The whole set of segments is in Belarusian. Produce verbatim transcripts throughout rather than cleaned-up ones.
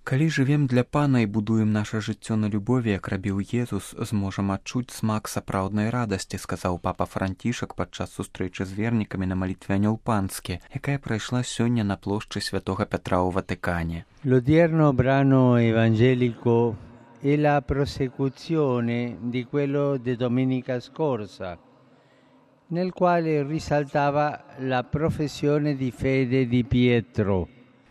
Калі жывем для Пана і будуем наша жыццё на любові, як рабіў Езус, зможам адчуць смак сапраўднай радасці, сказаў папа Францішак падчас сустрэчы з вернікамі на малітве Анёл Панскі, якая прайшла сёння на плошчы Святога Пятра ў Ватыкане. L'odierno brano evangelico è la prosecuzione di quello di domenica scorsa, nel quale risaltava la professione di fede di Pietro.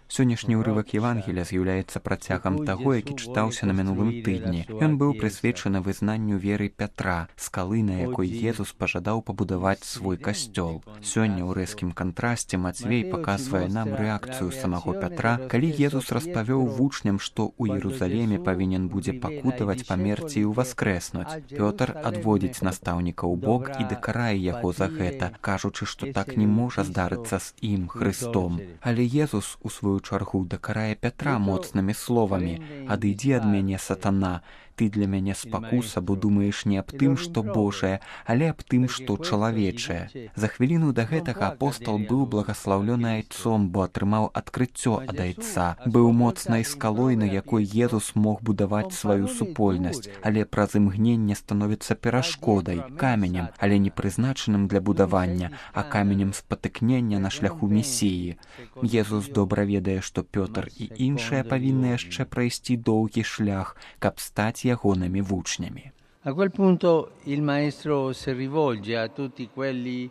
Сённяшні ўрывак Евангелія з'яўляецца працягам таго, які чытаўся на мінулым тыдні. Ён быў прысвечаны вызнанню веры Пятра, скалы, на якой Езус пажадаў пабудаваць свой касцёл. Сёння ў рэзкім кантрасце Мацвей паказвае нам рэакцыю самого Пятра, калі Езус распавёў вучням, што ў Іерусаліме павінен будзе пакутаваць, памерці і ўваскрэснуць. Пётр адводзіць настаўніка ў бок і дакарае яго за гэта, кажучы, што так не можа здарыцца з ім, Хрыстом. Але Езус у сваю чаргу дакарае Пятра моцнымі словамі: «Адыдзі ад мяне, сатана, ты для мяне спакуса, бо думаеш не аб тым, што Божае, але аб тым, што чалавечае». За хвіліну да гэтага апостал быў благаслаўлёны айцом, бо атрымаў адкрыццё ад айца, быў моцнай скалой, на якой Езус мог будаваць сваю супольнасць, але праз імгненне становіцца перашкодай, каменем, але не прызначаным для будавання, а каменем спатыкнення на шляху Месіі. Езус добра ведае, што Пётр і іншыя павінны яшчэ прайсці доўгі шлях, каб стаць ягонымі вучнямі. A quel punto il maestro si rivolge a tutti quelli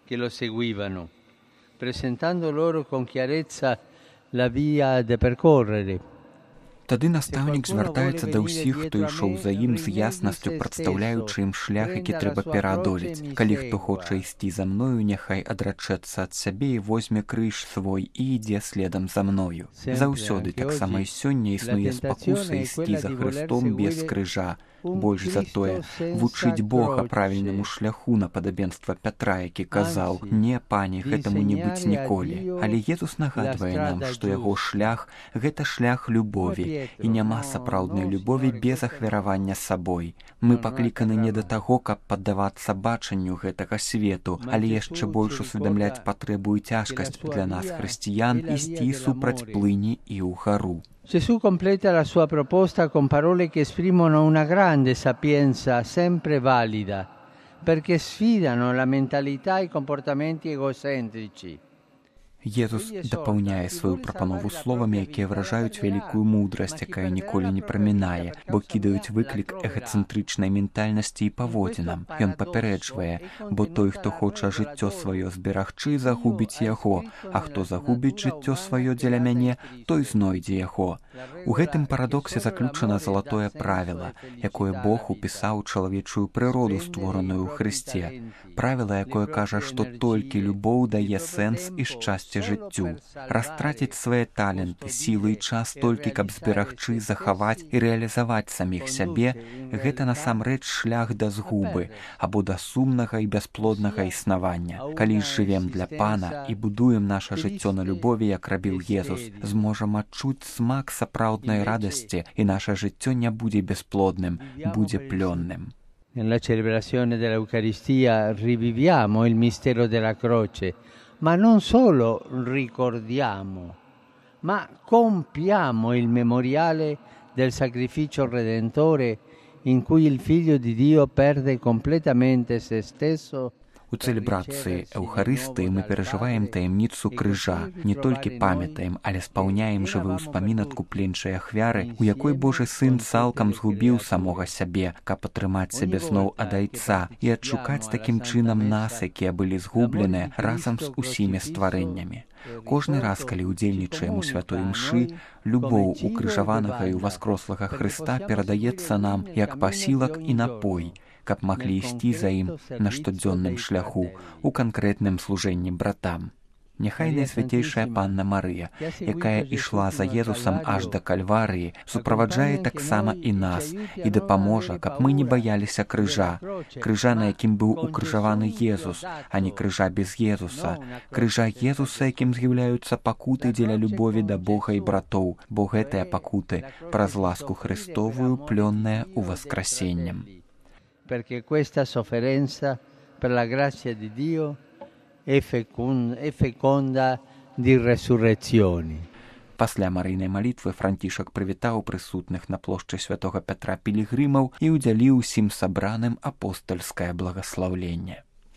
che lo seguivano, presentando loro con chiarezza la via da percorrere. Тады настаўнік звяртаецца да ўсіх, хто ішоў за ім, з яснасцю прадстаўляючы ім шлях, які трэба пераадолець. Калі хто хоча ісці за мною, няхай адрачэцца ад сябе і возьме крыж свой і ідзе следам за мною. Заўсёды, таксама і сёння, існуе спакуса ісці за Хрыстом без крыжа. Больш за тое, вучыць Бога правільнаму шляху на падабенства Пятра, які казаў: «Не, пане, гэтаму не быць ніколі». Але Езус нагадвае нам, што яго шлях – гэта шлях любові, і няма сапраўднай любові без ахвяравання сабой. Мы пакліканы не да таго, каб паддавацца бачанню гэтага свету, але яшчэ больш усведамляць патрэбу і цяжкасць для нас, хрысціян, ісці супраць плыні і ўгару. Gesù completa la sua proposta con parole che esprimono una grande sapienza sempre valida, perché sfidano la mentalità e i comportamenti egocentrici. Езус дапаўняе сваю прапанову словамі, якія выражаюць вялікую мудрасць, якая ніколі не прамінае, бо кідаюць выклік эгацэнтрычнай ментальнасці і паводзінам. Ён папярэджвае: «Бо той, хто хоча жыццё сваё зберагчы, загубіць яго, а хто загубіць жыццё сваё дзеля мяне, той знойдзе яго». У гэтым парадоксе заключана залатое правіла, якое Бог упісаў чалавечую прыроду, створаную ў Хрысце. Правіла, якое кажа, што толькі любоў дае сэнс і шчасце жыццю. Растраціць свае таленты, сілы і час толькі, каб зберагчы, захаваць і рэалізаваць саміх сябе – гэта насамрэч шлях да згубы або да сумнага і бясплоднага існавання. Калі ж жывем для Пана і будуем наша жыццё на любові, як рабіў Езус, зможам адчуць смак сапраўднай радасці, і наша жыццё не будзе бесплодным, будзе плённым. Nella celebrazione dell'Eucaristia riviviamo il mistero della croce, ma non solo ricordiamo, ma compiamo il memoriale del sacrificio redentore in cui il Figlio di Dio perde completamente se stesso. У цэлебрацыі Эўхарыстыі мы перажываем таямніцу крыжа, не толькі памятаем, але спаўняем жывы ўспамін адкупленчай ахвяры, у якой Божы Сын цалкам згубіў самога сябе, каб атрымаць сябе зноў ад айца і адшукаць такім чынам нас, якія былі згубленыя, разам з усімі стварэннямі. Кожны раз, калі ўдзельнічаем у святой імшы, любоў укрыжаванага і ўваскрослага Хрыста перадаецца нам як пасілак і напой, каб маглі ісці за ім на штодзённым шляху у канкрэтным служэнні братам. Няхай Найсвяцейшая Панна Марыя, якая ішла за Езусам аж да Кальварыі, суправаджае таксама і нас і дапаможа, каб мы не баяліся крыжа, крыжа, на якім быў укрыжаваны Езус, а не крыжа без Езуса, крыжа Езуса, якім з'яўляюцца пакуты дзеля любові да Бога і братоў, бо гэтыя пакуты праз ласку Христовую плённыя ўваскрасеннем. Perché questa sofferenza per la grazia di Dio è feconda di resurrezioni. Пасля марыйнай малітвы Францішак прывітаў прысутных на плошчы святога Пятра пілігрымаў і ўдзяліў усім сабраным апостальскае благаслаўленне.